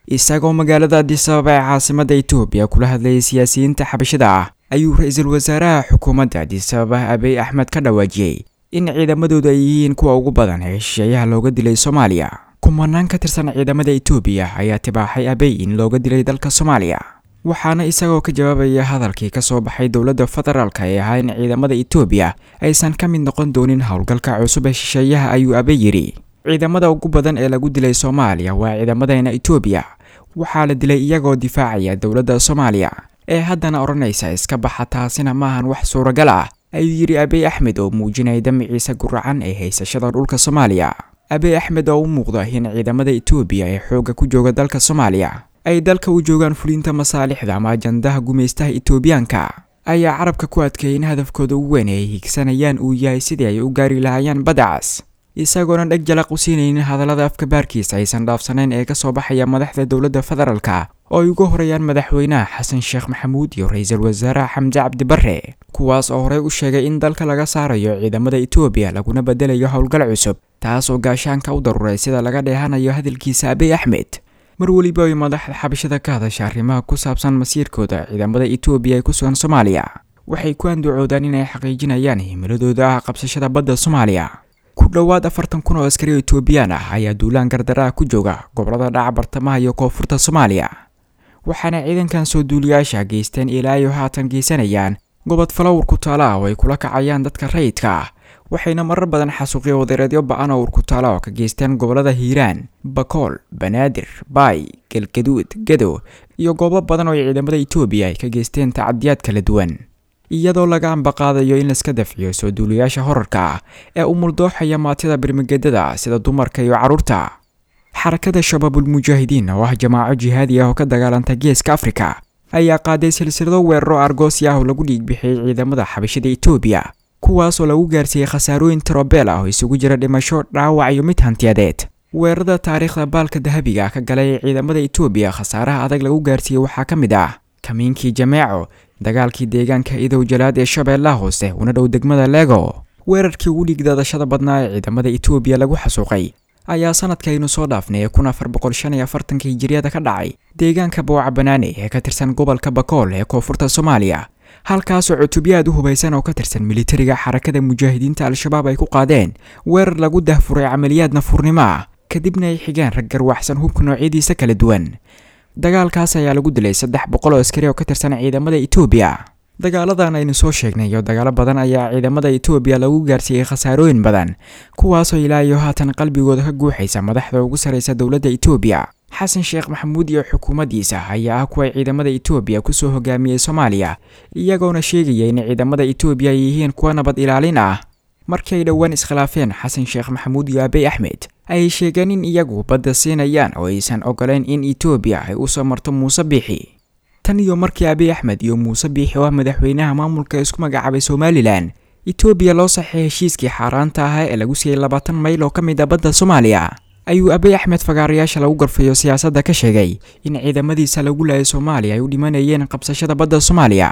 Isagoo magaalada Addis Ababa ee caasimada Itoobiya kula hadlayay siyaasiyiinta xabashida ah, ayuu ra-iisul wasaaraha xukuumadda Addis Ababa Abiy Axmed ka dhawaajiyey in ciidamadoodu ay yihiin kuwa ugu badan ee shisheeyaha looga dilay Soomaaliya. Kumanaan ka tirsan ciidamada Itoobiya ayaa tibaaxay Abiy in looga dilay dalka Soomaaliya, waxaana isagoo ka jawaabaya hadalkii ka soo baxay dowladda federaalka ee ahaa in ciidamada Itoobiya aysan ka mid noqon doonin howlgalka cusub ee shisheeyaha, ayuu Abiy yidhi: Ciidamada ugu badan ee lagu dilay Soomaaliya waa ciidamadeena Itoobiya, waxaa la dilay iyagoo difaacaya dowladda Soomaaliya ee haddana odhanaysa iska baxa, taasina maahan wax suuragal ah, ayuu yidhi Abiy Axmed oo muujinaya damiciisa guracan ee haysashada dhulka Soomaaliya. Abiy Axmed oo u muuqda in ciidamada Itoobiya ee xoogga ku jooga dalka Soomaaliya ay dalka u joogaan fulinta masaalixda ama ajandaha gumaystaha Itoobiyaanka, ayaa carabka ku adkeeyay in hadafkooda ugu weyn ay higsanayaan uu yahay sidii ay u gaari lahaayeen badacas, isagoona dheg jalaq u siinaynin hadallada afka baarkiisa aysan dhaafsanayn ee kasoo baxaya madaxda dowladda federaalka oo ay uga horreeyaan madaxweynaha Xasan Sheekh Maxamuud iyo ra-iisul wasaaraha Xamse Cabdi Barre, kuwaas oo horey u sheegay in dalka laga saarayo ciidamada Itoobiya laguna bedelayo howlgal cusub, taas oo gaashaanka u daruuray sida laga dheehanayo hadalkiisa Abiy Axmed. Mar weliba ay madaxda xabashada ka hadasha arrimaha ku saabsan masiirkooda ciidamada Itoobiya ee ku sugan Soomaaliya, waxay ku andacoodaan inay xaqiijinayaan himiladooda ah qabsashada badda Soomaaliya. Ku dhowaad 40,000 oo askari oo Itoobiyaan ah ayaa duulaan gardaraha ku jooga gobolada dhaca bartamaha iyo koonfurta Soomaaliya, waxaana ciidankan soo duuliyaasha geysteen ilaa iyo haatan geysanayaan gobod falo urkutaala ah oo ay kula kacayaan dadka rayidka ah, waxayna marar badan xasuuqyo wadareedyo ba-an oo urkutaala oo ka geysteen gobolada Hiiraan, Bakool, Banaadir, Baay, Galgaduud, Gadow iyo goobo badan oo ciidamada Itoobiya ay ka geysteen tacadiyaad kala duwan. Iyadoo laga ambaqaadayo in laiska dafciyo soo duuliyaasha horarka ah ee u muldooxaya maatida birmigedada sida dumarka iyo carruurta, Xarakada Shabaabul Mujaahidiin oo ah jamaaco jihaadi ah oo ka dagaalanta geeska Afrika ayaa qaaday silsilado weeraro argoosi ah oo lagu dhiigbixiyey ciidamada xabashida Itoobiya, kuwaas oo lagu gaarsiiyey khasaarooyin tirobeel ah oo isugu jira dhimasho, dhaawac iyo mid hantiyadeed. Weerarada taariikhda baalka dahabiga ka galay ee ciidamada Itoobiya khasaaraha adag lagu gaarsiiyey waxaa ka mid ah kamiinkii Jameeco, dagaalkii deegaanka Idow Jalaad ee Shabeellaha Hoose una dhow degmada Lego. Weerarkii ugu dhiigdaadashada badnaa ee ciidamada Itoobiya lagu xasuuqay ayaa sanadkaynu soo dhaafnay ee 1445-ka hijiriyada ka dhacay deegaanka Booca Banaane ee ka tirsan gobolka Bakool ee koonfurta Soomaaliya, halkaasoo cutubyo aad u hubaysan oo ka tirsan militariga Xarakada Mujaahidiinta Al-Shabaab ay ku qaadeen weerar lagu dahfuray camaliyaad nafuurnimo ah, kadibna ay xigeen rag garwaxsan hubka noocyadiisa kala duwan. Dagaalkaas ayaa lagu dilay 300 oo askari oo ka tirsan ciidamada Itoobiya. Dagaaladan aynu soo sheegnay iyo dagaalo badan ayaa ciidamada Itoobiya lagu gaarsiiyey khasaarooyin badan, kuwaasoo ilaa iyo haatan qalbigooda ka guuxaysa madaxda ugu sarraysa dowladda Itoobiya. Xasan Sheekh Maxamuud iyo xukuumaddiisa ayaa ah kuwa ciidamada Itoobiya kusoo hogaamiyey Soomaaliya, iyagoona sheegaya in ciidamada Itoobiya ay yihiin kuwa nabad ilaalin ah. Markii ay dhowaan iskhilaafeen Xasan Sheekh Maxamuud iyo Abiy Axmed, ayay sheegeen in iyagu badda siinayaan oo aysan ogoleyn in Itoobiya ay usoo marto Muuse Biixi. Tan iyo markii Abiy Axmed iyo Muuse Biixi oo ah madaxweynaha maamulka isku magacaabay Somalilan Itoobiya loo saxay heshiiskii xaaraanta ahaa ee lagu siiyey 20 mayl oo ka mid ah badda Soomaaliya, ayuu Abiy Axmed fagaarayaasha lagu gorfayo siyaasadda ka sheegay in ciidamadiisa lagu laayay Soomaaliya ay u dhimanayeen qabsashada badda Soomaaliya.